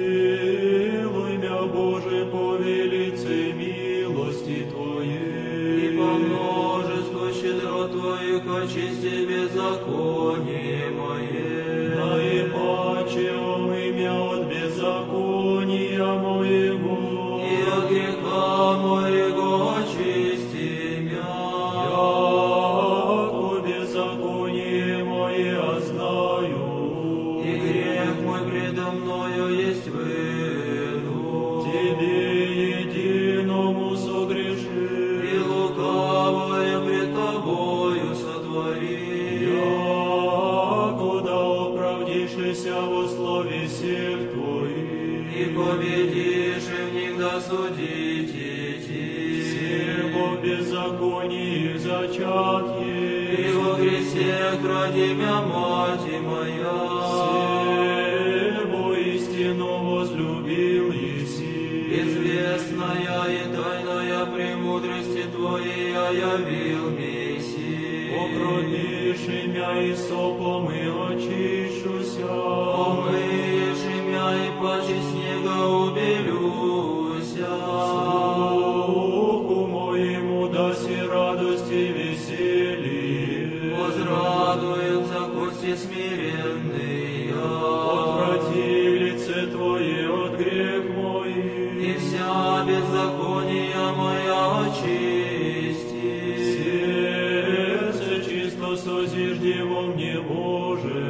Помилуй мя, Боже, по велице милости Твоей, И по множеству щедрот Твоих очисти беззаконие мое. наипаче омый мя от беззакония моего, И от греха моего очисти мя. яко беззаконие мое знаю, И грех мой предо мною есть выну. Тебе единому согрешил, И лукавое пред Тобою сотвори. яко да оправдишься во слове всех Твоих, И победишь, и в них да судите идти. всего беззаконии зачат И есть, во грехе ради мя мать моя. всего истину возлюбил еси, Известная и тайная премудрости Твоей явил Мессии. покропишь имя и сопом и очищуся, Помыешь имя и паче снега убелюся. Духу моему даси радость и веселье, Возрадуются кости смиренные. отврати лице Твое от грех мой, И вся беззакония моя очисти. сердце чисто созижди во мне, Боже,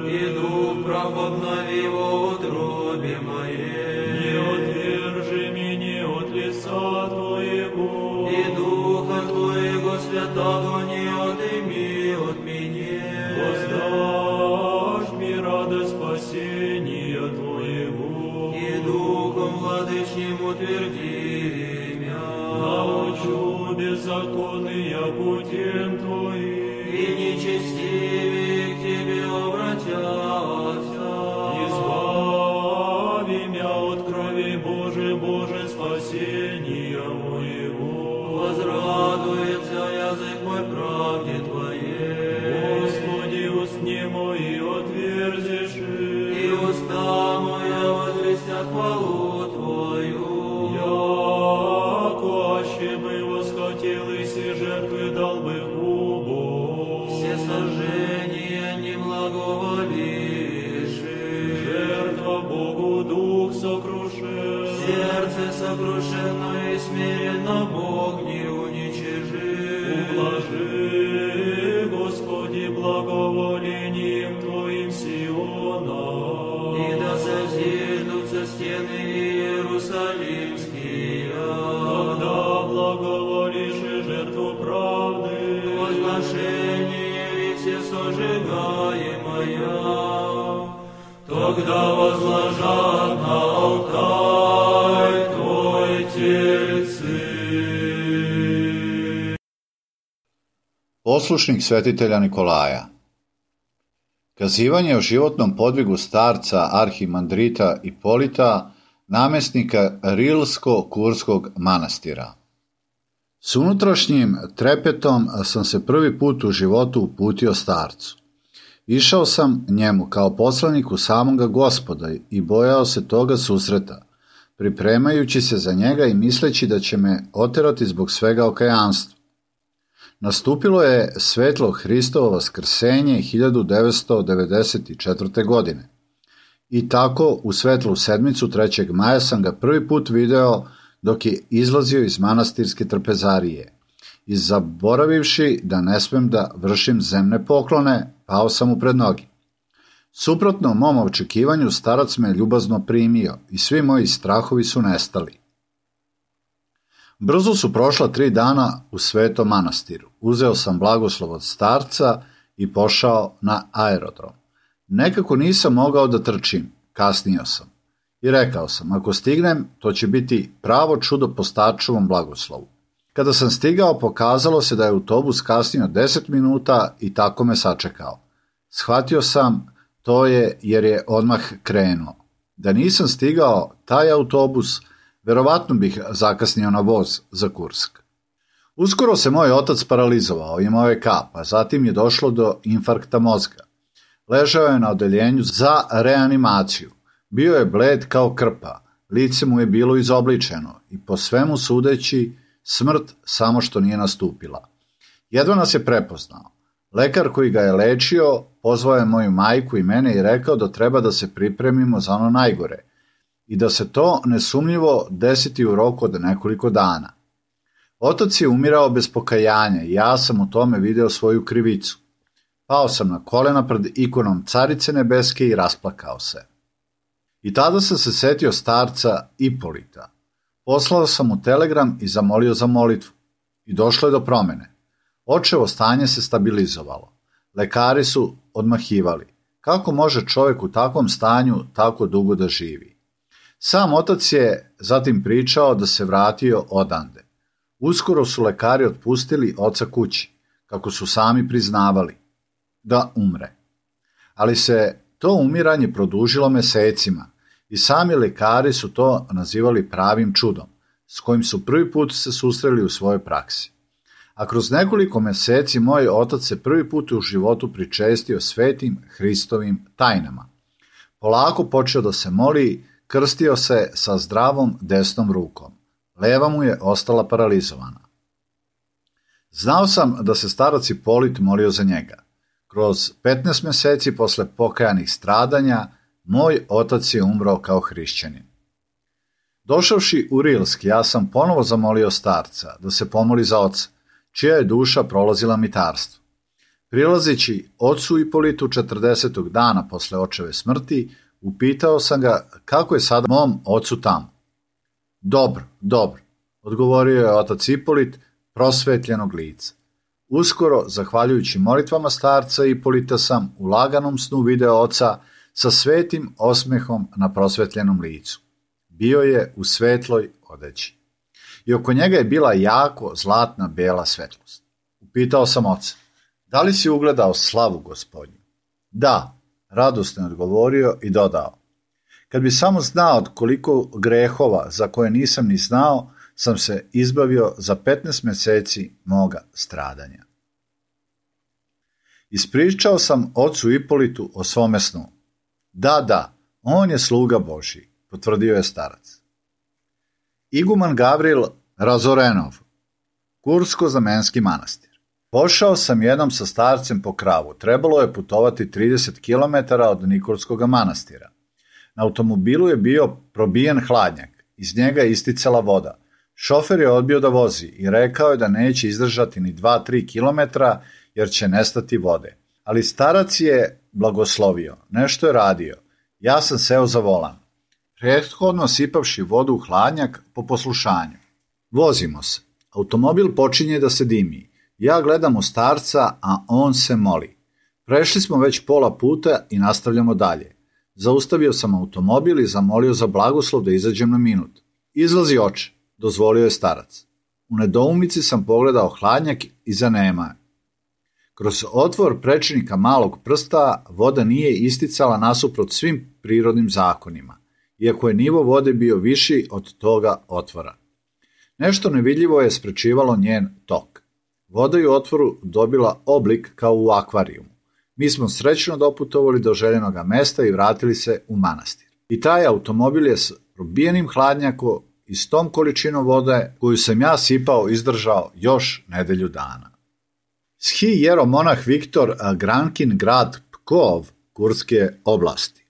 И дух прав обнови во утробе не моей. отвержи меня от лица Твоего, И духа Твоего святого не отыми от меня. воздашь мне радость спасения Твоего, И духом владычним утверди мя. научу беззаконные путем Твоим, И нечестивые к Тебе обратятся. избави меня от крови, Боже, Боже, спасения моего. Возрадуется язык мой правде Твоей. Господи, устни мои отверзишь, И уста моя возвестят хвалу Твою. яко аще бы восхотел и все жертвы дал бы губу. Все сожжения не благоволишь. Жертва Богу дух сокрушен, Сердце сокрушенно и смиренно Бог не уничижит. ублажи, Господи, благоволением Твоим Сиона. И да созиждутся стены Иерусалимские. Когда благоволишь и жертву правды, Возношение и все сожигаемое. Тогда возложат на алтарь Твой тельцы. Poslušnik svetitelja Nikolaja. Kazivanje o životnom podvigu starca arhimandrita Ipolita, namjesnika Rilsko-Kurskog manastira. S unutrašnjim trepetom sam se prvi put u životu uputio starcu. Išao sam njemu kao poslaniku samoga Gospoda i bojao se toga susreta, pripremajući se za njega i misleći da će me oterati zbog svega okajanstva. Nastupilo je svetlo Hristovo vaskrsenje 1994. godine. I tako u svetlu sedmicu 3. maja sam ga prvi put video dok je izlazio iz manastirske trpezarije. I zaboravivši da ne smem da vršim zemne poklone, pao sam mu pred noge. Suprotno mom očekivanju, starac me ljubazno primio i svi moji strahovi su nestali. Brzo su prošla 3 dana u svetom manastiru. Uzeo sam blagoslov od starca i pošao na aerodrom. Nekako nisam mogao da trčim, kasnio sam. I rekao sam, ako stignem, to će biti pravo čudo po starčevom blagoslovu. Kada sam stigao, pokazalo se da je autobus kasnio 10 minuta i tako me sačekao. Shvatio sam, to je jer je odmah krenuo. Da nisam stigao taj autobus, verovatno bih zakasnio na voz za Kursk. Uskoro se moj otac paralizovao, imao je kap, a zatim je došlo do infarkta mozga. Ležao je na odeljenju za reanimaciju. Bio je bled kao krpa, lice mu je bilo izobličeno i po svemu sudeći smrt samo što nije nastupila. Jedva nas je prepoznao. Lekar koji ga je lečio pozvao je moju majku i mene i rekao da treba da se pripremimo za ono najgore i da se to nesumnjivo desiti u roku od nekoliko dana. Otac je umirao bez pokajanja i ja sam u tome video svoju krivicu. Pao sam na kolena pred ikonom Carice nebeske i rasplakao se. I tada sam se setio starca Ipolita. Poslao sam mu telegram i zamolio za molitvu. I došlo je do promene. Očevo stanje se stabilizovalo. Lekari su odmahivali. Kako može čovjek u takvom stanju tako dugo da živi? Sam otac je zatim pričao da se vratio odande. Uskoro su lekari otpustili oca kući, kako su sami priznavali, da umre. Ali se to umiranje produžilo mesecima i sami lekari su to nazivali pravim čudom, s kojim su prvi put se susreli u svojoj praksi. A kroz nekoliko meseci moj otac se prvi put u životu pričestio svetim Hristovim tajnama. Polako počeo da se moli, krstio se sa zdravom desnom rukom. Leva mu je ostala paralizovana. Znao sam da se starac Ipolit molio za njega. Kroz 15 meseci posle pokajanih stradanja, moj otac je umro kao hrišćanin. Došavši u Rilsk, ja sam ponovo zamolio starca da se pomoli za oca, čija je duša prolazila mitarstvo. Prilazeći ocu Ipolitu 40. dana posle očeve smrti, upitao sam ga kako je sada mom ocu tamo. Dobro, odgovorio je otac Ipolit prosvetljenog lica. Uskoro, zahvaljujući molitvama starca Ipolita, sam u laganom snu video oca sa svetim osmehom na prosvetljenom licu. Bio je u svetloj odeći. I oko njega je bila jako zlatna bela svetlost. Upitao sam oca, da li si ugledao slavu Gospodnju? Da, radosno je odgovorio i dodao. Kad bi samo znao od koliko grehova za koje nisam ni znao, sam se izbavio za 15 meseci moga stradanja. Ispričao sam ocu Ipolitu o svome snu. Da, on je sluga Božji, potvrdio je starac. Iguman Gavril Razorenov, Kursko-Znamenski manastir. Pošao sam jednom sa starcem po kravu. Trebalo je putovati 30 km od Nikolskog manastira. Na automobilu je bio probijen hladnjak. Iz njega je isticala voda. Šofer je odbio da vozi i rekao je da neće izdržati ni 2-3 km jer će nestati vode. Ali starac je blagoslovio. Nešto je radio. Ja sam seo za volan. Prethodno sipavši vodu u hladnjak po poslušanju. Vozimo se. Automobil počinje da se dimi. Ja gledam u starca, a on se moli. Prešli smo već pola puta i nastavljamo dalje. Zaustavio sam automobil i zamolio za blagoslov da izađem na minut. Izlazi oče, dozvolio je starac. U nedoumici sam pogledao hladnjak i zanema. Kroz otvor prečnika malog prsta voda nije isticala nasuprot svim prirodnim zakonima, iako je nivo vode bio viši od toga otvora. Nešto nevidljivo je sprečivalo njen tok. Voda je u otvoru dobila oblik kao u akvarijumu. Mi smo srećno doputovali do željenoga mesta i vratili se u manastir. I taj automobil je s probijenim hladnjakom i s tom količinom vode koju sam ja sipao izdržao još nedelju dana. Schi jeromonah Viktor Grankin grad Pkov, Kurske oblasti.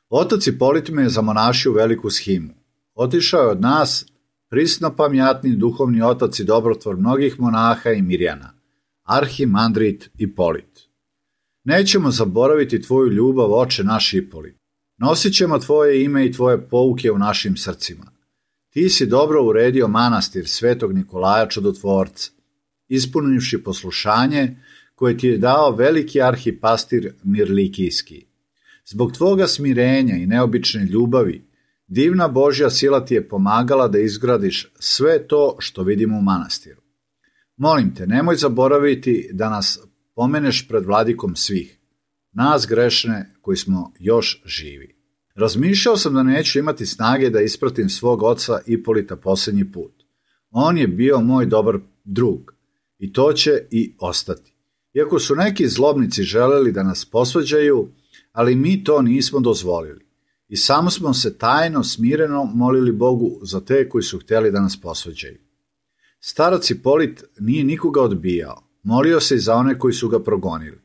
Otac Ipolit me je zamonašio u veliku shimu. Otišao je od nas prisnopamjatni duhovni otac i dobrotvor mnogih monaha i mirjana, arhimandrit Ipolit. Nećemo zaboraviti tvoju ljubav, oče naš Ipolit. Nosit ćemo tvoje ime i tvoje pouke u našim srcima. Ti si dobro uredio manastir svetog Nikolaja Čudotvorca, ispunivši poslušanje koje ti je dao veliki arhipastir Mirlikijski. Zbog tvoga smirenja i neobične ljubavi, divna Božja sila ti je pomagala da izgradiš sve to što vidimo u manastiru. Molim te, nemoj zaboraviti da nas pomeneš pred vladikom svih, nas grešne koji smo još živi. Razmišljao sam da neću imati snage da ispratim svog oca Ipolita posljednji put. On je bio moj dobar drug i to će i ostati. Iako su neki zlobnici želeli da nas posvađaju, ali mi to nismo dozvolili i samo smo se tajno, smireno molili Bogu za te koji su htjeli da nas posvađaju. Starac Ipolit nije nikoga odbijao, molio se i za one koji su ga progonili.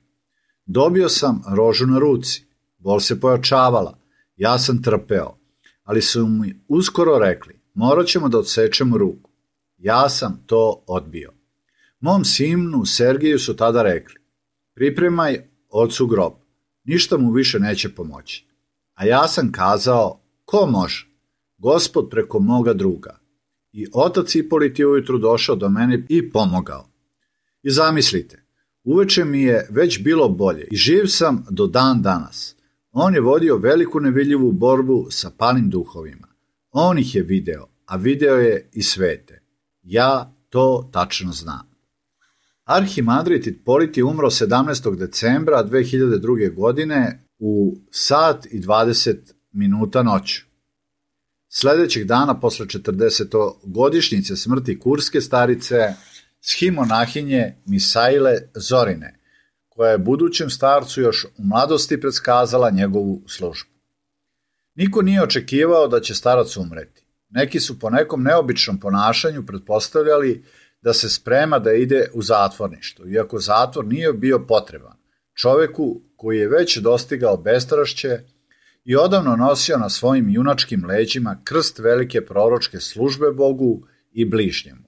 Dobio sam rožu na ruci, bol se pojačavala, ja sam trpeo, ali su mi uskoro rekli, morat ćemo da odsečemo ruku. Ja sam to odbio. Mom sinu Sergiju su tada rekli, pripremaj ocu grob, ništa mu više neće pomoći. A ja sam kazao, ko može? Gospod preko moga druga. I otac Ipolit je ujutru došao do mene i pomogao. I zamislite, uveče mi je već bilo bolje i živ sam do dan danas. On je vodio veliku nevidljivu borbu sa palim duhovima. On ih je video, a video je i svete. Ja to tačno znam. Arhimandrit Ipolit je umro 17. decembra 2002. godine u 1:20 noću. Sljedećeg dana, posle 40-godišnjice smrti kurske starice, shimonahine Misaile Zorine, koja je budućem starcu još u mladosti predskazala njegovu službu. Niko nije očekivao da će starac umreti. Neki su po nekom neobičnom ponašanju pretpostavljali da se sprema da ide u zatvorništvo, iako zatvor nije bio potreban čoveku koji je već dostigao bestrašće i odavno nosio na svojim junačkim leđima krst velike proročke službe Bogu i bližnjemu,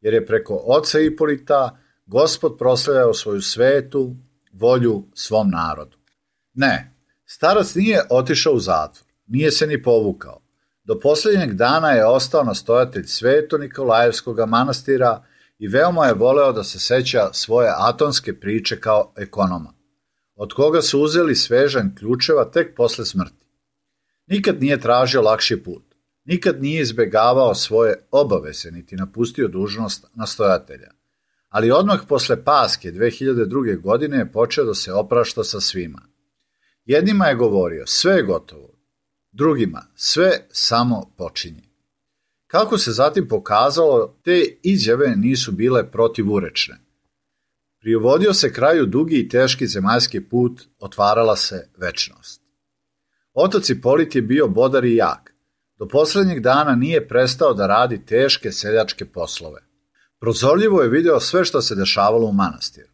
jer je preko oca Ipolita Gospod proslavljao svoju svetu volju svom narodu. Ne, starac nije otišao u zatvor, nije se ni povukao. Do posljednjeg dana je ostao nastojatelj Sveto Nikolajevskog manastira i veoma je voleo da se seća svoje atonske priče kao ekonoma, od koga su uzeli svežanj ključeva tek posle smrti. Nikad nije tražio lakši put, nikad nije izbegavao svoje obaveze niti napustio dužnost nastojatelja, ali odmah posle Paske 2002. godine je počeo da se oprašta sa svima. Jednima je govorio, sve je gotovo, drugima, sve samo počinje. Kako se zatim pokazalo, te izjave nisu bile protivurečne. Privodio se kraju dugi i teški zemaljski put, otvarala se večnost. Otac Ipolit je bio bodar i jak. Do posljednjeg dana nije prestao da radi teške seljačke poslove. Prozorljivo je video sve što se dešavalo u manastiru.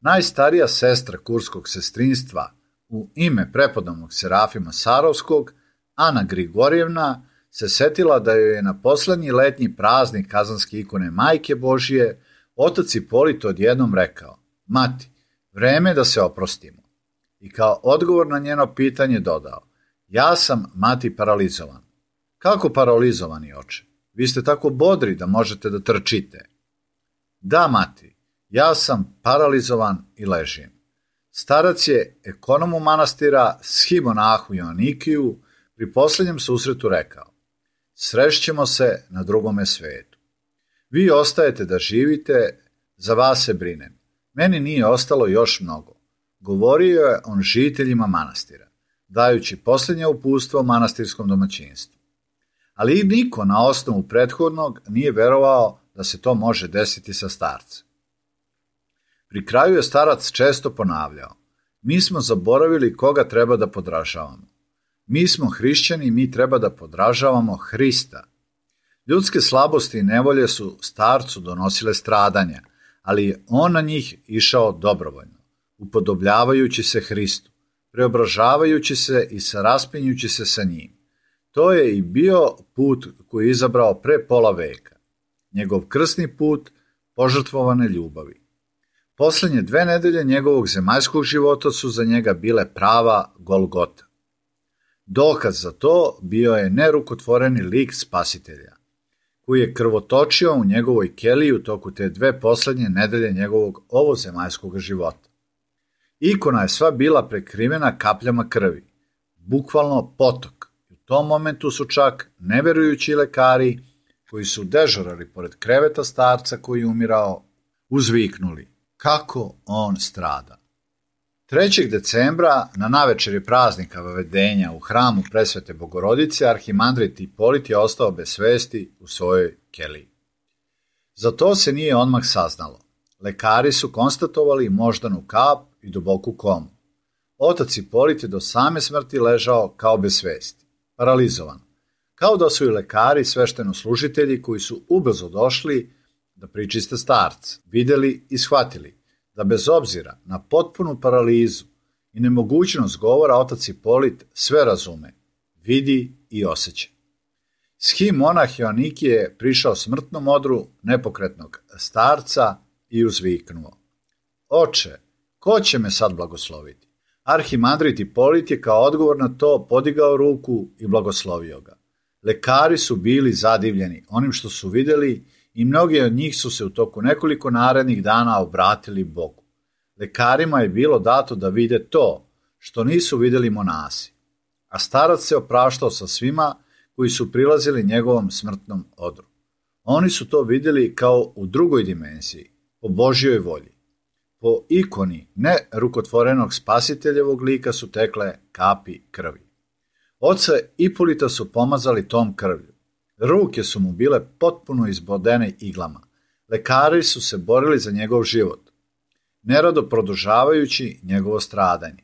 Najstarija sestra kurskog sestrinstva u ime prepodobnog Serafima Sarovskog, Ana Grigorjevna, se setila da joj je na poslednji letnji praznik Kazanske ikone Majke Božije otac Ipolit odjednom rekao, mati, vreme je da se oprostimo. I kao odgovor na njeno pitanje dodao, ja sam, mati, paralizovan. Kako paralizovani, oče? Vi ste tako bodri da možete da trčite. Da, mati, ja sam paralizovan i ležim. Starac je ekonomu manastira shimonahu Joannikiju pri posljednjem susretu rekao, srešćemo se na drugome svetu. Vi ostajete da živite, za vas se brinem. Meni nije ostalo još mnogo. Govorio je on žiteljima manastira, dajući posljednje uputstvo manastirskom domaćinstvu. Ali niko na osnovu prethodnog nije verovao da se to može desiti sa starcem. Pri kraju je starac često ponavljao, mi smo zaboravili koga treba da podražavamo. Mi smo hrišćani i mi treba da podražavamo Hrista. Ljudske slabosti i nevolje su starcu donosile stradanja, ali je on na njih išao dobrovoljno, upodobljavajući se Hristu, preobražavajući se i saraspinjući se sa njim. To je i bio put koji je izabrao pre pola veka, njegov krsni put požrtvovane ljubavi. Posljednje 2 nedelje njegovog zemaljskog života su za njega bile prava Golgota. Dokaz za to bio je nerukotvoreni lik spasitelja, koji je krvotočio u njegovoj keliji u toku te 2 posljednje nedelje njegovog ovozemaljskog života. Ikona je sva bila prekrivena kapljama krvi, bukvalno potok. U tom momentu su čak neverujući lekari, koji su dežurali pored kreveta starca koji je umirao, uzviknuli kako on strada. 3. decembra, na navečeri praznika Vavedenja u hramu Presvete Bogorodice, arhimandrit Ipolit je ostao bez svesti u svojoj keliji. Za to se nije odmah saznalo. Lekari su konstatovali moždanu kap i duboku komu. Otac Ipolit je do same smrti ležao kao bez svesti, paralizovan, kao da su i lekari i sveštenoslужitelji koji su ubrzo došli da pričiste starca, videli i shvatili da bez obzira na potpunu paralizu i nemogućnost govora, otac Ipolit sve razume, vidi i osjeća. Schi monah Joanikije je prišao smrtnom odru nepokretnog starca i uzviknuo: Oče, ko će me sad blagosloviti? Arhimandrit Ipolit je kao odgovor na to podigao ruku i blagoslovio ga. Lekari su bili zadivljeni onim što su vidjeli i mnogi od njih su se u toku nekoliko narednih dana obratili Bogu. Lekarima je bilo dato da vide to što nisu vidjeli monasi, a starac se opraštao sa svima koji su prilazili njegovom smrtnom odru. Oni su to vidjeli kao u drugoj dimenziji, po Božjoj volji. Po ikoni nerukotvorenog spasiteljevog lika su tekle kapi krvi. Oca Ipolita su pomazali tom krvlju. Ruke su mu bile potpuno izbodene iglama. Lekari su se borili za njegov život, nerado produžavajući njegovo stradanje.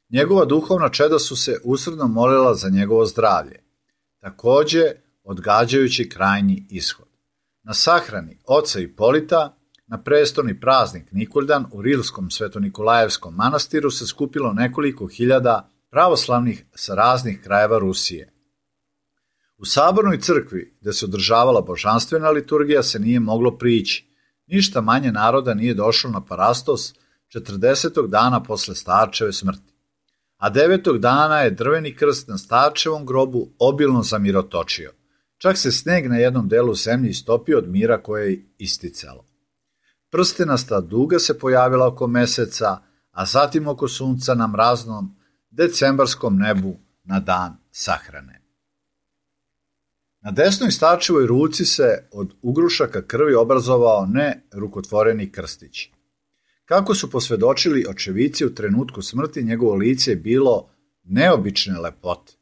Njegova duhovna čeda su se usrdno molila za njegovo zdravlje, također odgađajući krajnji ishod. Na sahrani oca Ipolita, na prestolni praznik Nikoldan u Rilskom Svetonikolajevskom manastiru se skupilo nekoliko hiljada pravoslavnih sa raznih krajeva Rusije. U sabornoj crkvi, gdje se održavala božanstvena liturgija, se nije moglo prići. Ništa manje naroda nije došlo na Parastos 40. dana posle starčeve smrti. A 9. dana je drveni krst na starčevom grobu obilno zamirotočio. Čak se sneg na jednom delu zemlje istopio od mira koje je isticalo. Prstenasta duga se pojavila oko meseca, a zatim oko sunca na mraznom decembarskom nebu na dan sahrane. Na desnoj starčevoj ruci se od ugrušaka krvi obrazovao nerukotvoreni krstić. Kako su posvjedočili očevici, u trenutku smrti njegovo lice je bilo neobične lepote.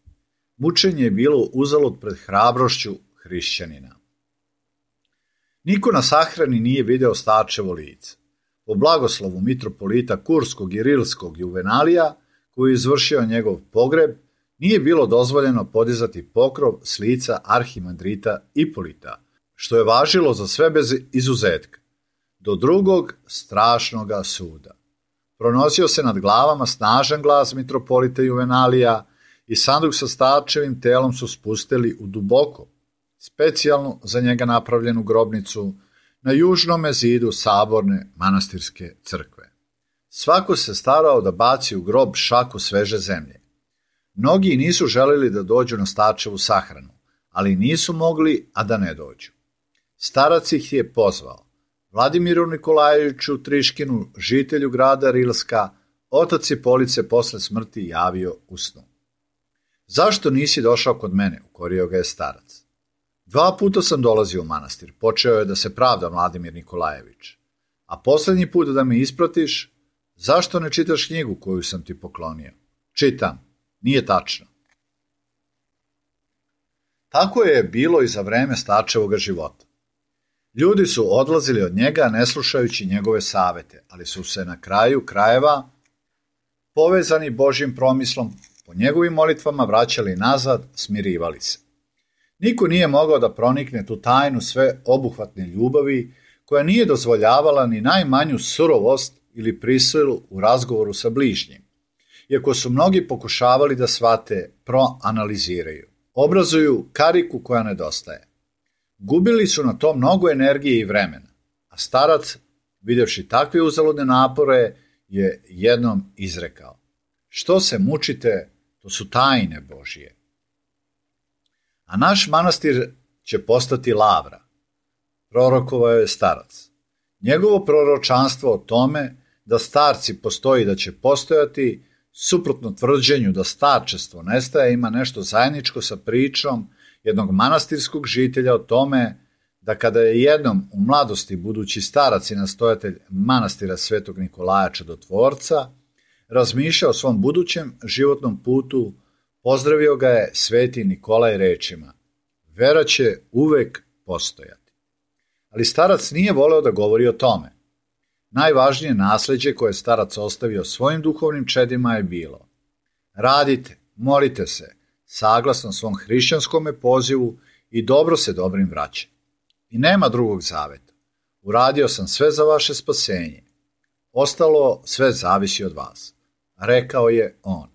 Mučenje je bilo uzalud pred hrabrošću hrišćanina. Niko na sahrani nije video starčevo lice. Po blagoslovu mitropolita Kurskog i Rilskog Juvenalija, koji je izvršio njegov pogreb, nije bilo dozvoljeno podizati pokrov s lica arhimandrita Ipolita, što je važilo za sve bez izuzetka, do drugog strašnoga suda. Pronosio se nad glavama snažan glas mitropolita Juvenalija i sanduk sa starčevim telom su spustili u duboko, specijalno za njega napravljenu grobnicu na južnome zidu saborne manastirske crkve. Svako se starao da baci u grob šaku sveže zemlje. Mnogi nisu želeli da dođu na starčevu sahranu, ali nisu mogli, a da ne dođu. Starac ih je pozvao. Vladimiru Nikolajeviću Triškinu, žitelju grada Rilska, otac Ipolit se posle smrti javio u snu. Zašto nisi došao kod mene, ukorio ga je starac. 2 puta sam dolazio u manastir, počeo je da se pravda Vladimir Nikolajević. A posljednji put da me ispratiš, zašto ne čitaš knjigu koju sam ti poklonio? Čitam, nije tačno. Tako je bilo i za vreme starčevoga života. Ljudi su odlazili od njega ne slušajući njegove savete, ali su se na kraju krajeva, povezani Božjim promislom, po njegovim molitvama vraćali nazad, smirivali se. Niko nije mogao da pronikne tu tajnu sve obuhvatne ljubavi, koja nije dozvoljavala ni najmanju surovost ili prisilu u razgovoru sa bližnjim, iako su mnogi pokušavali da shvate, proanaliziraju, obrazuju kariku koja nedostaje. Gubili su na to mnogo energije i vremena, a starac, vidjevši takve uzaludne napore, je jednom izrekao: što se mučite, to su tajne Božije. A naš manastir će postati lavra, prorokovao je starac. Njegovo proročanstvo o tome da starci postoji i da će postojati, suprotno tvrđenju da starčestvo nestaje, ima nešto zajedničko sa pričom jednog manastirskog žitelja o tome da kada je jednom u mladosti budući starac i nastojatelj manastira Svetog Nikolaja Čudotvorca razmišljao o svom budućem životnom putu, pozdravio ga je sveti Nikolaj rečima: vera će uvek postojati. Ali starac nije voleo da govori o tome. Najvažnije nasleđe koje je starac ostavio svojim duhovnim čedima je bilo: radite, molite se, saglasno svom hrišćanskome pozivu i dobro se dobrim vraća. I nema drugog zaveta. Uradio sam sve za vaše spasenje. Ostalo sve zavisi od vas, rekao je on.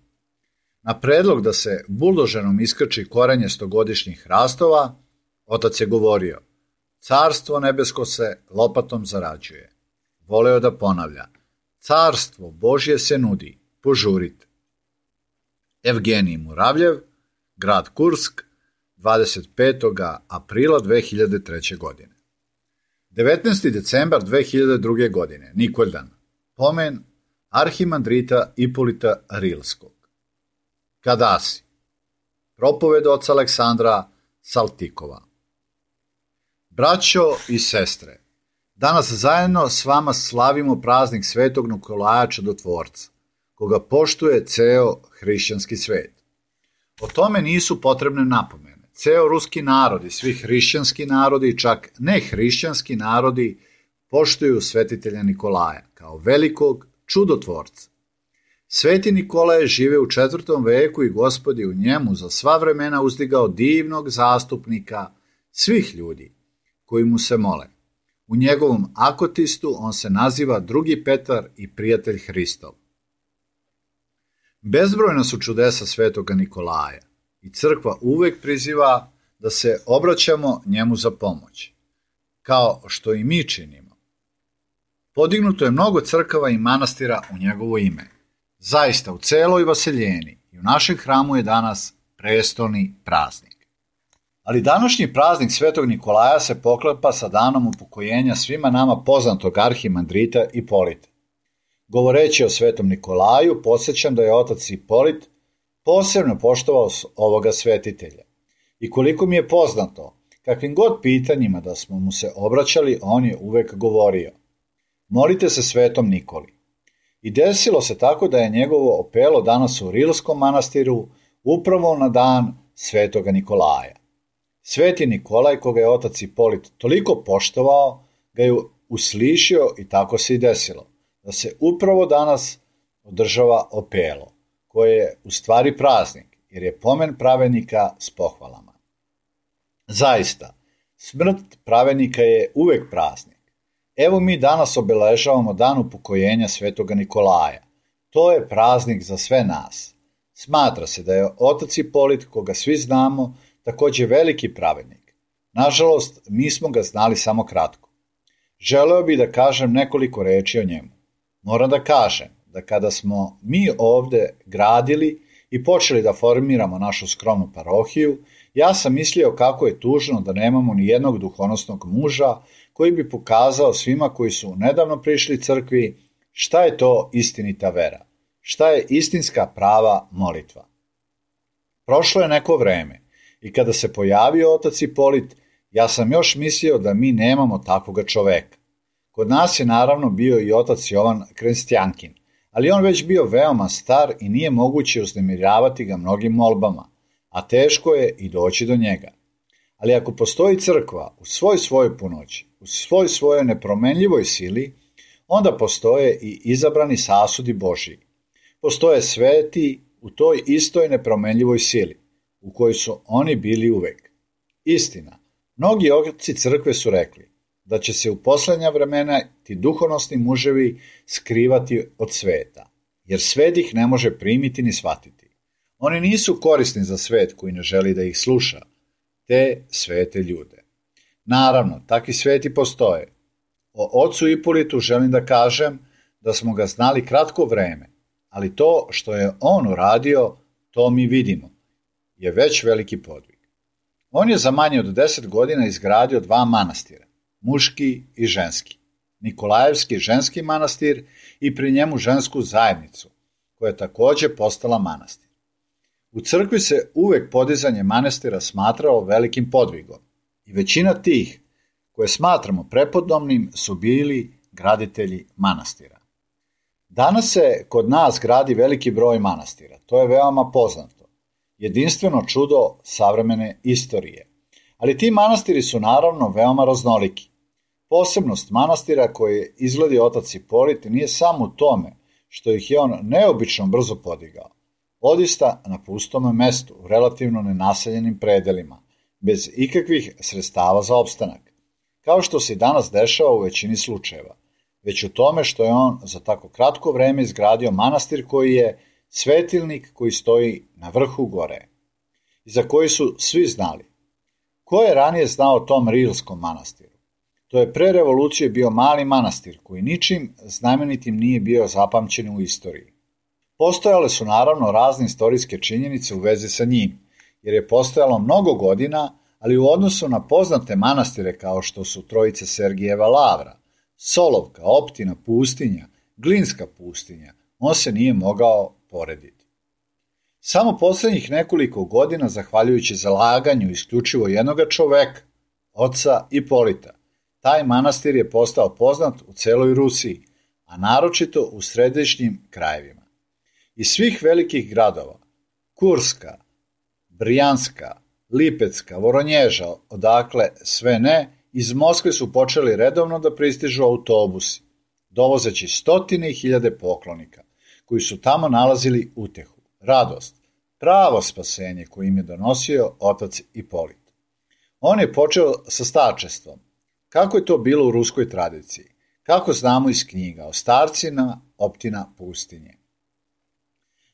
Na predlog da se buldožerom iskrči korenje 100-godišnjih hrastova, otac je govorio: carstvo nebesko se lopatom zarađuje. Voleo da ponavlja: carstvo Božje se nudi, požurite. Evgenij Muravljev, grad Kursk, 25. aprila 2003. godine. 19. decembar 2002. godine, Nikoldan, pomen arhimandrita Ipolita Rilskog. Kadasi, propoved oca Aleksandra Saltikova. Braćo i sestre, danas zajedno s vama slavimo praznik Svetog Nikolaja Čudotvorca, koga poštuje ceo hrišćanski svet. O tome nisu potrebne napomene. Ceo ruski narod i svi hrišćanski narodi, čak nehrišćanski narodi, poštuju svetitelja Nikolaja kao velikog čudotvorca. Sveti Nikola je žive u 4. veku i Gospod je u njemu za sva vremena uzdigao divnog zastupnika svih ljudi koji mu se mole. U njegovom akotistu on se naziva drugi Petar i prijatelj Hristov. Bezbrojna su čudesa svetoga Nikolaja i crkva uvek priziva da se obraćamo njemu za pomoć, kao što i mi činimo. Podignuto je mnogo crkava i manastira u njegovo ime. Zaista, u celoj Vaseljeni i u našem hramu je danas prestolni praznik. Ali današnji praznik Svetog Nikolaja se poklapa sa danom upokojenja svima nama poznatog arhimandrita Ipolita. Govoreći o Svetom Nikolaju, podsjećam da je otac Ipolit posebno poštovao ovoga svetitelja. I koliko mi je poznato, kakvim god pitanjima da smo mu se obraćali, on je uvek govorio: molite se Svetom Nikoli. I desilo se tako da je njegovo opelo danas u Rilskom manastiru upravo na dan Svetoga Nikolaja. Sveti Nikolaj, koga je otac Ipolit toliko poštovao, ga je uslišio i tako se i desilo, da se upravo danas održava opelo, koje je u stvari praznik, jer je pomen pravednika s pohvalama. Zaista, smrt pravednika je uvek praznik. Evo mi danas obeležavamo dan upokojenja Svetoga Nikolaja. To je praznik za sve nas. Smatra se da je otac Ipolit, koga svi znamo, takođe veliki pravednik. Nažalost, mi smo ga znali samo kratko. Želeo bih da kažem nekoliko reči o njemu. Moram da kažem da kada smo mi ovde gradili i počeli da formiramo našu skromnu parohiju, ja sam mislio kako je tužno da nemamo ni jednog duhonosnog muža koji bi pokazao svima koji su nedavno prišli crkvi šta je to istinita vera, šta je istinska prava molitva. Prošlo je neko vreme i kada se pojavio otac Ipolit, ja sam još mislio da mi nemamo takvoga čoveka. Kod nas je naravno bio i otac Jovan Krestjankin, ali on već bio veoma star i nije moguće uznemiravati ga mnogim molbama, a teško je i doći do njega. Ali ako postoji crkva u svojoj punoći, u svojoj nepromenljivoj sili, onda postoje i izabrani sasudi Božiji. Postoje sveti u toj istoj nepromenljivoj sili, u kojoj su oni bili uvek. Istina, mnogi oci crkve su rekli da će se u poslednja vremena ti duhonosni muževi skrivati od sveta, jer svet ih ne može primiti ni shvatiti. Oni nisu korisni za svet koji ne želi da ih sluša, te svete ljude. Naravno, takvi sveti postoje. O ocu Ipolitu želim da kažem da smo ga znali kratko vreme, ali to što je on uradio, to mi vidimo, je već veliki podvig. On je za manje od 10 godina izgradio 2 manastira, muški i ženski, Nikolajevski ženski manastir i pri njemu žensku zajednicu, koja je takođe postala manastir. U crkvi se uvek podizanje manastira smatrao velikim podvigom i većina tih koje smatramo prepodobnim su bili graditelji manastira. Danas se kod nas gradi veliki broj manastira, to je veoma poznato, jedinstveno čudo savremene istorije. Ali ti manastiri su naravno veoma raznoliki. Posebnost manastira koje izgledi otac Ipolit nije samo u tome što ih je on neobično brzo podigao. Odista na pustome mestu, u relativno nenaseljenim predelima, bez ikakvih sredstava za opstanak, kao što se i danas dešava u većini slučajeva, već u tome što je on za tako kratko vreme izgradio manastir koji je svetilnik koji stoji na vrhu gore i za koji su svi znali. Ko je ranije znao o tom Rilskom manastiru? To je pre revolucije bio mali manastir koji ničim znamenitim nije bio zapamćen u istoriji. Postojale su naravno razne istorijske činjenice u vezi sa njim, jer je postojalo mnogo godina, ali u odnosu na poznate manastire kao što su Trojica Sergijeva lavra, Solovka, Optina pustinja, Glinska pustinja, on se nije mogao porediti. Samo poslednjih nekoliko godina, zahvaljujući zalaganju isključivo jednoga čoveka, oca Ipolita, taj manastir je postao poznat u celoj Rusiji, a naročito u središnjim krajevima. Iz svih velikih gradova, Kurska, Brijanska, Lipecka, Voronježa, odakle sve ne, iz Moskve su počeli redovno da pristižu autobusi, dovozeći stotine i hiljade poklonika, koji su tamo nalazili utehu, radost, pravo spasenje koje im je donosio otac Ipolit. On je počeo sa starčestvom. Kako je to bilo u ruskoj tradiciji? Kako znamo iz knjiga o starcima Optina pustinje?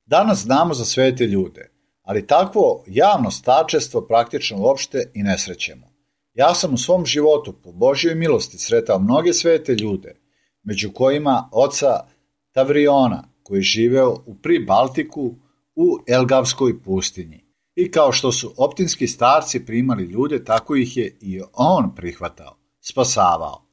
Danas znamo za svete ljude, ali takvo javno starčestvo praktično uopšte i ne srećemo. Ja sam u svom životu po Božjoj milosti sretao mnoge svete ljude, među kojima oca Tavriona, koji je živeo u Pribaltiku u Elgavskoj pustinji. I kao što su optinski starci primali ljude, tako ih je i on prihvatao, spasavao.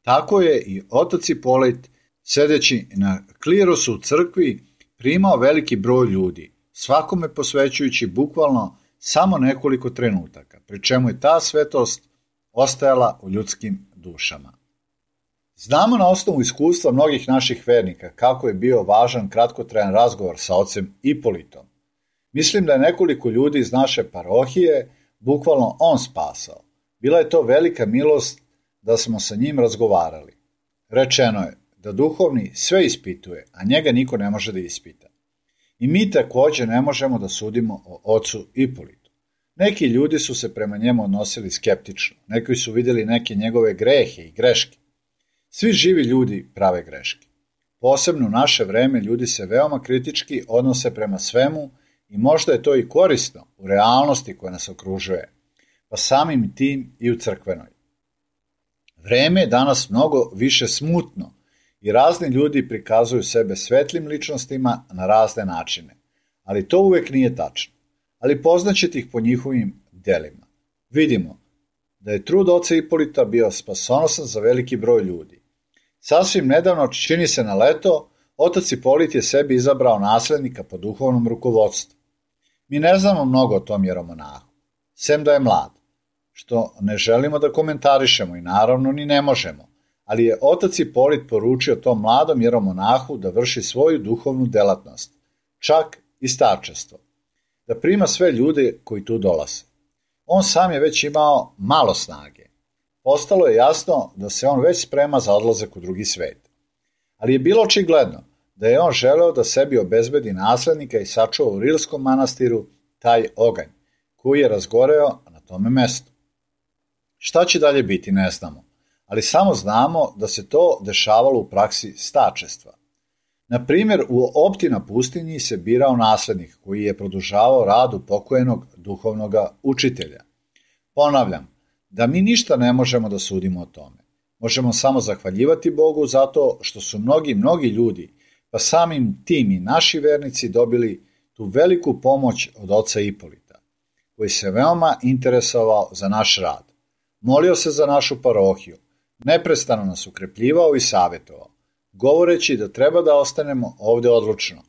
Tako je i otac Ipolit, sedeći na klirosu u crkvi, primao veliki broj ljudi, svakome posvećujući bukvalno samo nekoliko trenutaka, pri čemu je ta svetost ostajala u ljudskim dušama. Znamo na osnovu iskustva mnogih naših vernika kako je bio važan kratkotrajan razgovor sa ocem Ipolitom. Mislim da je nekoliko ljudi iz naše parohije bukvalno on spasao. Bila je to velika milost da smo sa njim razgovarali. Rečeno je da duhovni sve ispituje, a njega niko ne može da ispita. I mi takođe ne možemo da sudimo o ocu Ipolitu. Neki ljudi su se prema njemu odnosili skeptično, neki su vidjeli neke njegove grehe i greške. Svi živi ljudi prave greške. Posebno u naše vreme ljudi se veoma kritički odnose prema svemu i možda je to i korisno u realnosti koja nas okružuje, pa samim tim i u crkvenoj. Vreme je danas mnogo više smutno i razni ljudi prikazuju sebe svetlim ličnostima na razne načine, ali to uvek nije tačno. Ali poznaćete ih po njihovim delima. Vidimo da je trud oca Ipolita bio spasonosan za veliki broj ljudi. Sasvim nedavno, čini se na leto, otac Ipolit je sebi izabrao naslednika po duhovnom rukovodstvu. Mi ne znamo mnogo o tom jeromonahu, sem da je mlad, što ne želimo da komentarišemo i naravno ni ne možemo, ali je otac Ipolit poručio tom mladom jeromonahu da vrši svoju duhovnu delatnost, čak i starčestvo, da prima sve ljude koji tu dolaze. On sam je već imao malo snage. Postalo je jasno da se on već sprema za odlazak u drugi svet. Ali je bilo očigledno da je on želeo da sebi obezbedi naslednika i sačuva u Rilskom manastiru taj oganj, koji je razgoreo na tome mestu. Šta će dalje biti, ne znamo, ali samo znamo da se to dešavalo u praksi starčestva. Na primjer, u Optina pustinji se birao naslednik koji je produžavao radu pokojnog duhovnog učitelja. Ponavljam, da mi ništa ne možemo da sudimo o tome. Možemo samo zahvaljivati Bogu zato što su mnogi ljudi, pa samim tim i naši vernici dobili tu veliku pomoć od oca Ipolita, koji se veoma interesovao za naš rad. Molio se za našu parohiju, neprestano nas ukrepljivao i savjetovao, govoreći da treba da ostanemo ovde odlučno,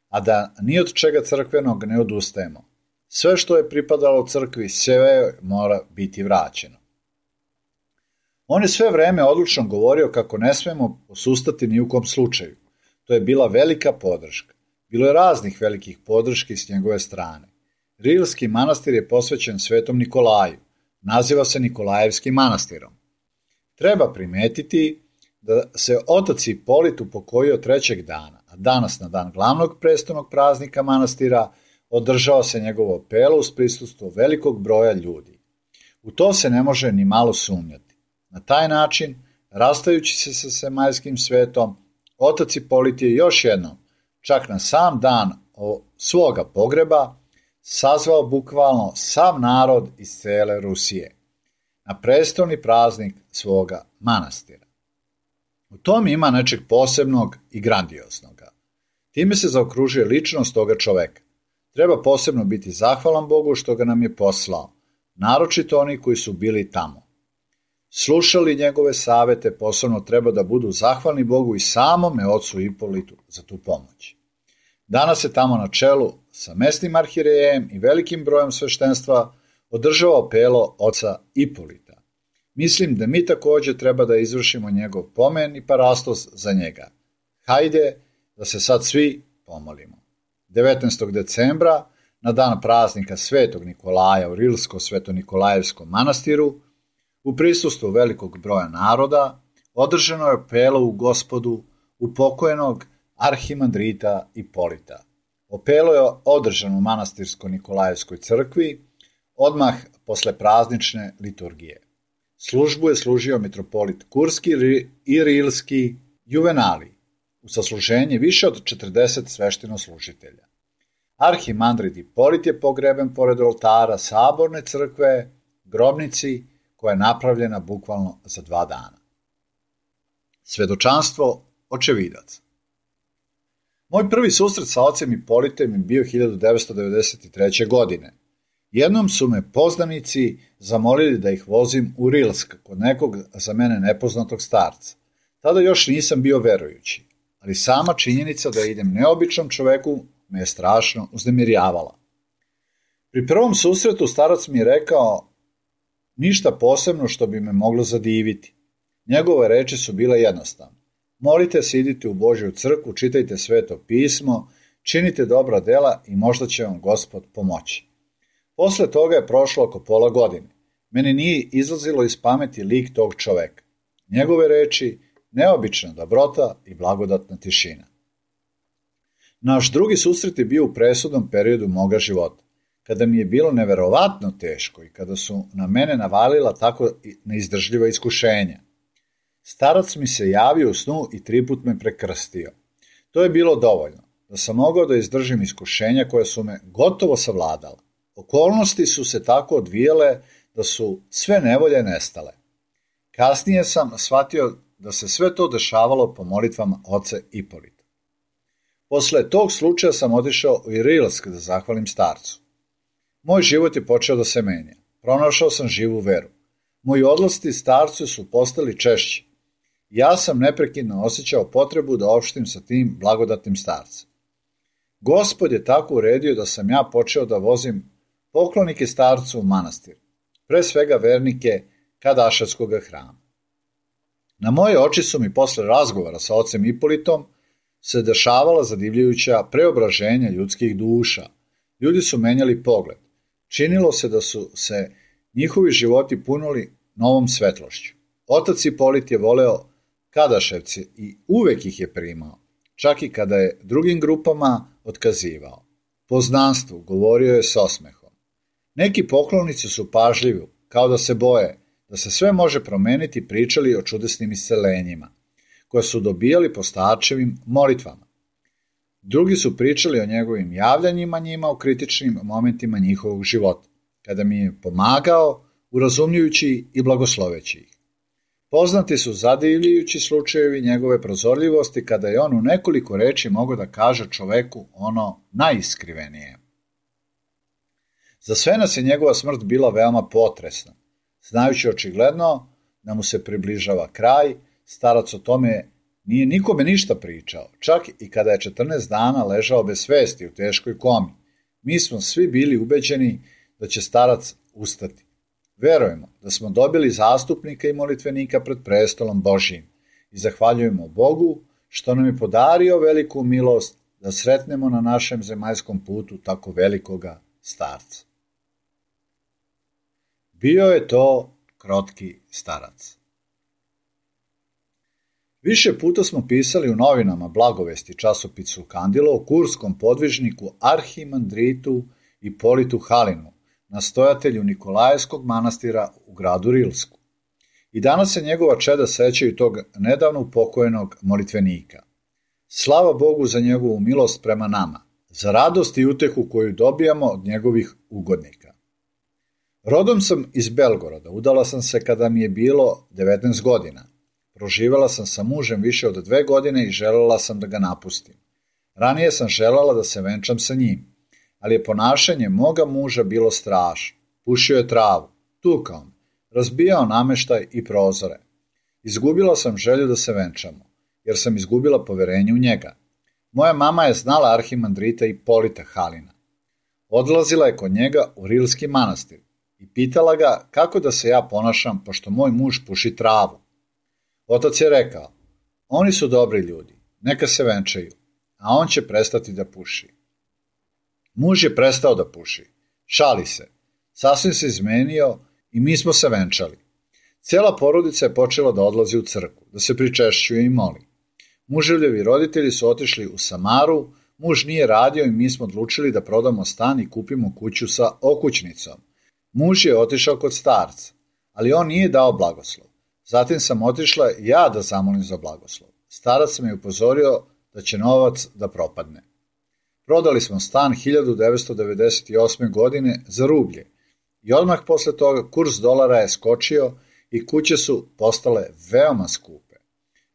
a da ni od čega crkvenog ne odustajemo. Sve što je pripadalo crkvi, sve mora biti vraćeno. On je sve vreme odlučno govorio kako ne smemo posustati ni u kom slučaju. To je bila velika podrška. Bilo je raznih velikih podrški s njegove strane. Rilski manastir je posvećen svetom Nikolaju. Naziva se Nikolajevskim manastirom. Treba primetiti da se otac Ipolit upokojio 3. dana, a danas na dan glavnog prestolnog praznika manastira održava se njegovo opelo uz prisustvo velikog broja ljudi. U to se ne može ni malo sumnjati. Na taj način, rastajući se sa zemaljskim svetom, otac Ipolit je još jednom, čak na sam dan svoga pogreba, sazvao bukvalno sav narod iz cele Rusije na prestolni praznik svoga manastira. U tom ima nečeg posebnog i grandioznoga. Time se zaokružuje ličnost toga čoveka. Treba posebno biti zahvalan Bogu što ga nam je poslao, naročito oni koji su bili tamo. Slušali njegove savete, posebno treba da budu zahvalni Bogu i samome ocu Ipolitu za tu pomoć. Danas se tamo na čelu sa mesnim arhirejem i velikim brojem sveštenstva održava opelo oca Ipolita. Mislim da mi također treba da izvršimo njegov pomen i parastos za njega. Hajde da se sad svi pomolimo. 19. decembra, na dan praznika Svetog Nikolaja u Rilsko-Sveto-Nikolajevskom manastiru, u prisustvu velikog broja naroda, održano je opelo u Gospodu upokojenog arhimandrita Ipolita. Opelo je održano u manastirsko-Nikolajevskoj crkvi odmah posle praznične liturgije. Službu je služio mitropolit Kurski i Rilski Juvenali, u sasluženje više od 40 sveštenoslužitelja. Arhimandrit Ipolit je pogreben pored oltara saborne crkve, grobnici, koja je napravljena bukvalno za 2 dana. Svedočanstvo očevidaca. Moj prvi susret sa ocem Ipolitem je bio 1993. godine. Jednom su me poznanici zamolili da ih vozim u Rilsk kod nekog za mene nepoznatog starca. Tada još nisam bio verujući, ali sama činjenica da idem neobičnom čoveku me je strašno uznemirjavala. Pri prvom susretu starac mi je rekao ništa posebno što bi me moglo zadiviti. Njegove reči su bile jednostavne. Molite se, idite u Božju crkvu, čitajte sveto pismo, činite dobra dela i možda će vam Gospod pomoći. Posle toga je prošlo oko pola godine. Meni nije izlazilo iz pameti lik tog čoveka. Njegove reči, neobična dobrota i blagodatna tišina. Naš drugi susret je bio u presudnom periodu moga života, kada mi je bilo neverovatno teško i kada su na mene navalila tako neizdržljiva iskušenja. Starac mi se javio u snu i 3 put me prekrstio. To je bilo dovoljno, da sam mogao da izdržim iskušenja koja su me gotovo savladala. Okolnosti su se tako odvijale da su sve nevolje nestale. Kasnije sam shvatio da se sve to dešavalo po molitvama oce Ipolita. Posle tog slučaja sam otišao u Rilsk da zahvalim starcu. Moj život je počeo da se menja. Pronašao sam živu veru. Moji odlasci starcu su postali češći. Ja sam neprekidno osjećao potrebu da opštim sa tim blagodatnim starcem. Gospod je tako uredio da sam ja počeo da vozim poklonike starcu u manastir, pre svega vernike Kadaševskog hrama. Na moje oči su mi posle razgovora sa ocem Ipolitom se dešavala zadivljujuća preobraženja ljudskih duša. Ljudi su menjali pogled. Činilo se da su se njihovi životi punili novom svetlošću. Otac Ipolit je voleo Kadaševce i uvek ih je primao, čak i kada je drugim grupama otkazivao. Poznanstvu govorio je s osmehom. Neki poklonici su pažljivi, kao da se boje, da se sve može promeniti, pričali o čudesnim iscelenjima, koje su dobijali po starčevim molitvama. Drugi su pričali o njegovim javljanjima njima u kritičnim momentima njihovog života, kada mi je pomagao, urazumljujući i blagosloveći ih. Poznati su zadivljujući slučajevi njegove prozorljivosti kada je on u nekoliko reči mogao da kaže čoveku ono najiskrivenije. Za sve nas je njegova smrt bila veoma potresna. Znajući očigledno da mu se približava kraj, starac o tome nije nikome ništa pričao, čak i kada je 14 dana ležao bez svesti u teškoj komi. Mi smo svi bili ubeđeni da će starac ustati. Verujemo da smo dobili zastupnika i molitvenika pred prestolom Božijim i zahvaljujemo Bogu što nam je podario veliku milost da sretnemo na našem zemaljskom putu tako velikoga starca. Bio je to krotki starac. Više puta smo pisali u novinama Blagovesti časopisu Kandilo o kurskom podvižniku arhimandritu Ipolitu Halinu, nastojatelju Nikolajevskog manastira u gradu Rilsku. I danas se njegova čeda sećaju tog nedavno upokojenog molitvenika. Slava Bogu za njegovu milost prema nama, za radost i utehu koju dobijamo od njegovih ugodnika. Rodom sam iz Belgoroda, udala sam se kada mi je bilo 19 godina. Proživjela sam sa mužem više od 2 godine i željela sam da ga napustim. Ranije sam željela da se venčam sa njim, ali je ponašanje moga muža bilo strašno. Pušio je travu, tukao me, razbijao nameštaj i prozore. Izgubila sam želju da se venčamo, jer sam izgubila poverenje u njega. Moja mama je znala arhimandrita Ipolita Halina. Odlazila je kod njega u Rilski manastir i pitala ga kako da se ja ponašam pošto moj muž puši travu. Otac je rekao, oni su dobri ljudi, neka se venčaju, a on će prestati da puši. Muž je prestao da puši, šali se, sasvim se izmenio i mi smo se venčali. Cijela porodica je počela da odlazi u crkvu, da se pričešćuje i moli. Muževljevi roditelji su otišli u Samaru, muž nije radio i mi smo odlučili da prodamo stan i kupimo kuću sa okućnicom. Muž je otišao kod starca, ali on nije dao blagoslov. Zatim sam otišla ja da zamolim za blagoslov. Starac me je upozorio da će novac da propadne. Prodali smo stan 1998. godine za rublje i odmah posle toga kurs dolara je skočio i kuće su postale veoma skupe.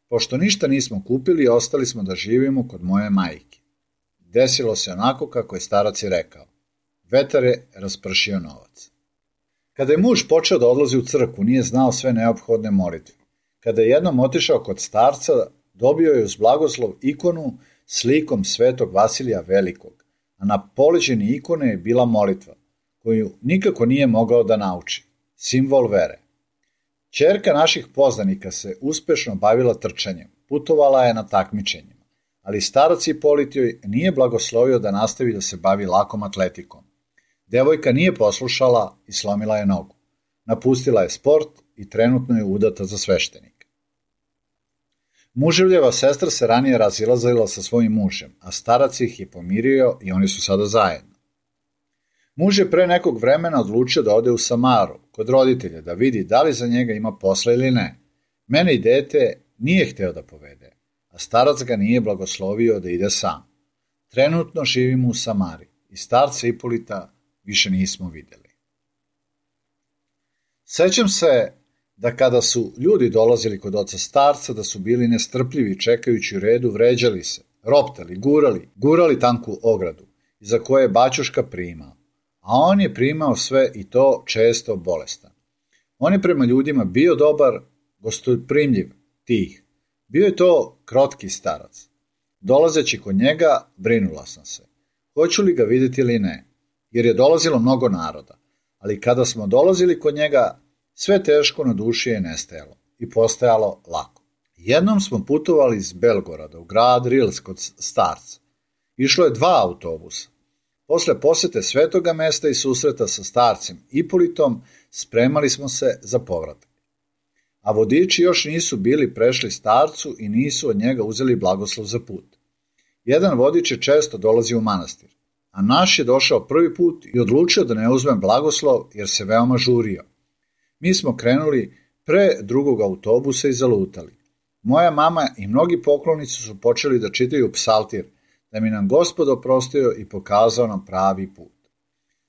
Pošto ništa nismo kupili, ostali smo da živimo kod moje majke. Desilo se onako kako je starac i rekao. Vetar je raspršio novac. Kada je muž počeo da odlazi u crkvu, nije znao sve neophodne molitve. Kada je jednom otišao kod starca, dobio je uz blagoslov ikonu s likom svetog Vasilija Velikog, a na poleđini ikone je bila molitva, koju nikako nije mogao da nauči, simbol vere. Ćerka naših poznanika se uspešno bavila trčanjem, putovala je na takmičenjima, ali starac Ipolit joj nije blagoslovio da nastavi da se bavi lakom atletikom. Devojka nije poslušala i slomila je nogu. Napustila je sport i trenutno je udata za sveštenika. Muževljeva sestra se ranije razilazila sa svojim mužem, a starac ih je pomirio i oni su sada zajedno. Muž je pre nekog vremena odlučio da ode u Samaru, kod roditelja, da vidi da li za njega ima posla ili ne. Mene i dete nije hteo da povede, a starac ga nije blagoslovio da ide sam. Trenutno živimo u Samari i starca Ipolita više nismo vidjeli. Sećam se da kada su ljudi dolazili kod oca starca, da su bili nestrpljivi čekajući u redu, vređali se, roptali, gurali tanku ogradu, iza koje je baćuška primao. A on je primao sve i to često bolestan. On je prema ljudima bio dobar, gostoprimljiv, tih. Bio je to krotki starac. Dolazeći kod njega, brinula sam se. Hoću li ga vidjeti ili ne? Jer je dolazilo mnogo naroda. Ali kada smo dolazili kod njega, sve teško na duši je nestajalo i postajalo lako. Jednom smo putovali iz Belgoroda u grad Rils kod starca. Išlo je 2 autobusa. Posle posete svetoga mesta i susreta sa starcem Ipolitom, spremali smo se za povratak. A vodiči još nisu bili prešli starcu i nisu od njega uzeli blagoslov za put. Jedan vodič je često dolazio u manastir, a naš je došao prvi put i odlučio da ne uzme blagoslov jer se veoma žurio. Mi smo krenuli pre drugog autobusa i zalutali. Moja mama i mnogi poklonici su počeli da čitaju psaltir, da mi nam Gospod oprostio i pokazao nam pravi put.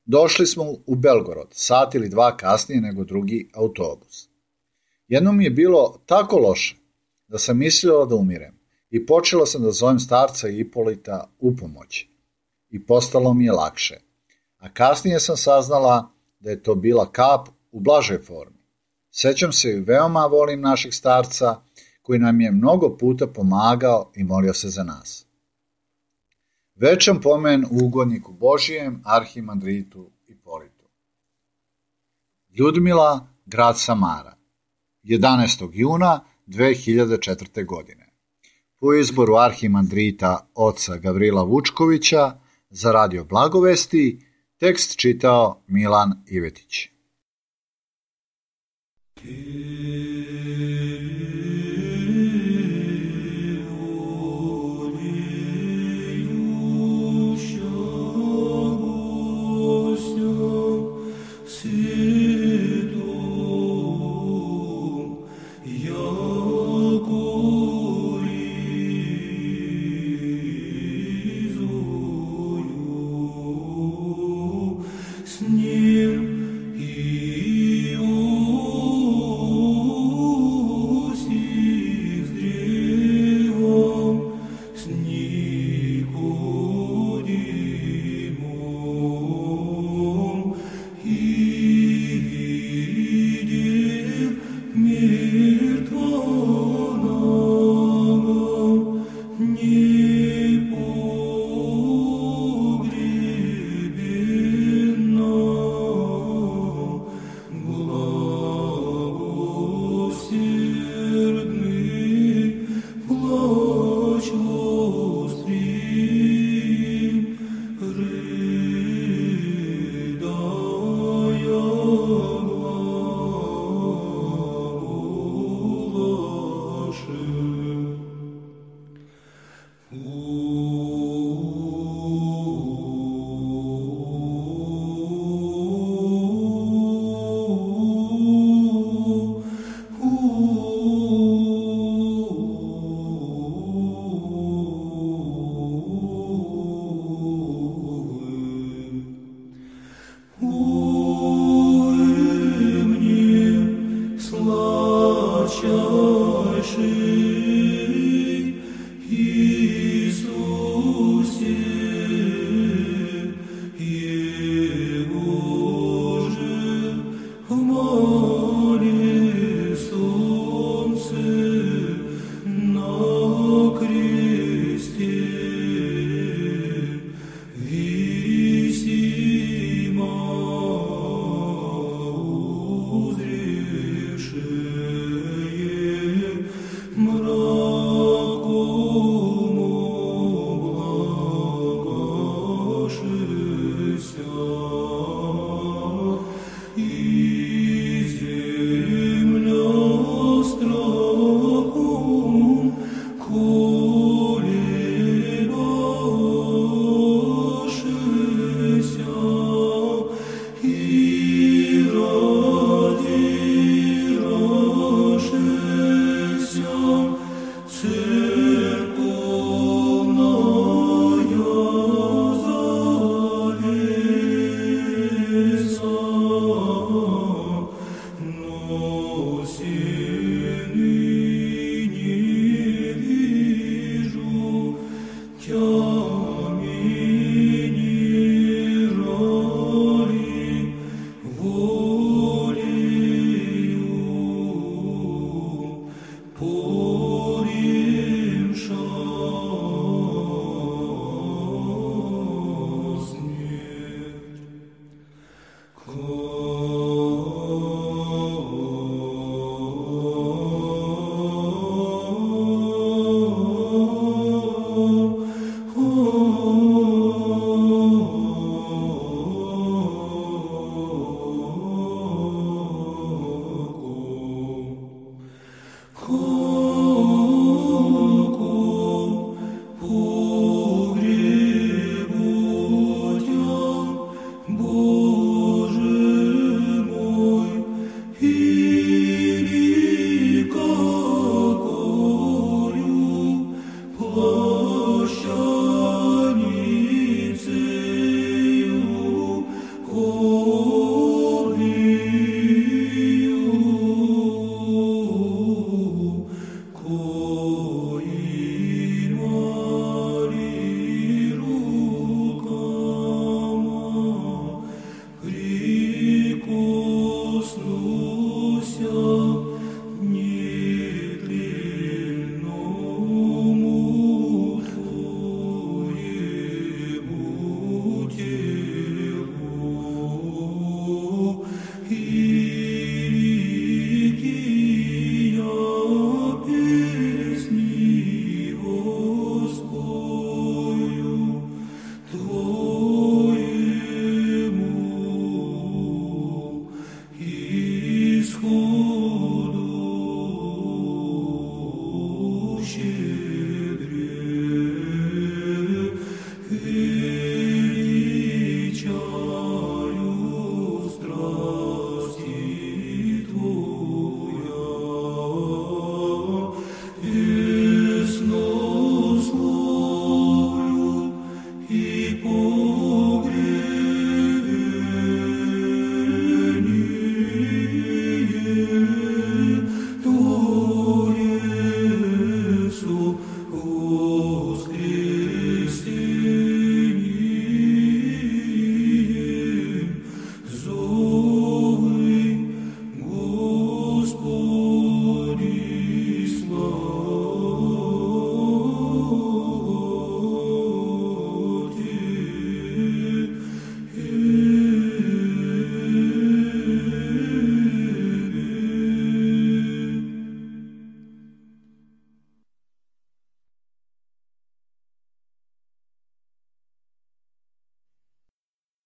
Došli smo u Belgorod, sat ili 2 kasnije nego drugi autobus. Jednom mi je bilo tako loše da sam mislila da umirem i počela sam da zovem starca Ipolita u pomoći. I postalo mi je lakše. A kasnije sam saznala da je to bila kap u blažoj formi. Sećam se i veoma volim našeg starca koji nam je mnogo puta pomagao i molio se za nas. Večan pomen u ugodniku Božijem, arhimandritu Ipolitu. Ljudmila, grad Samara, 11. juna 2004. godine. Po izboru arhimandrita oca Gavrila Vučkovića za Radio Blagovesti, tekst čitao Milan Ivetić.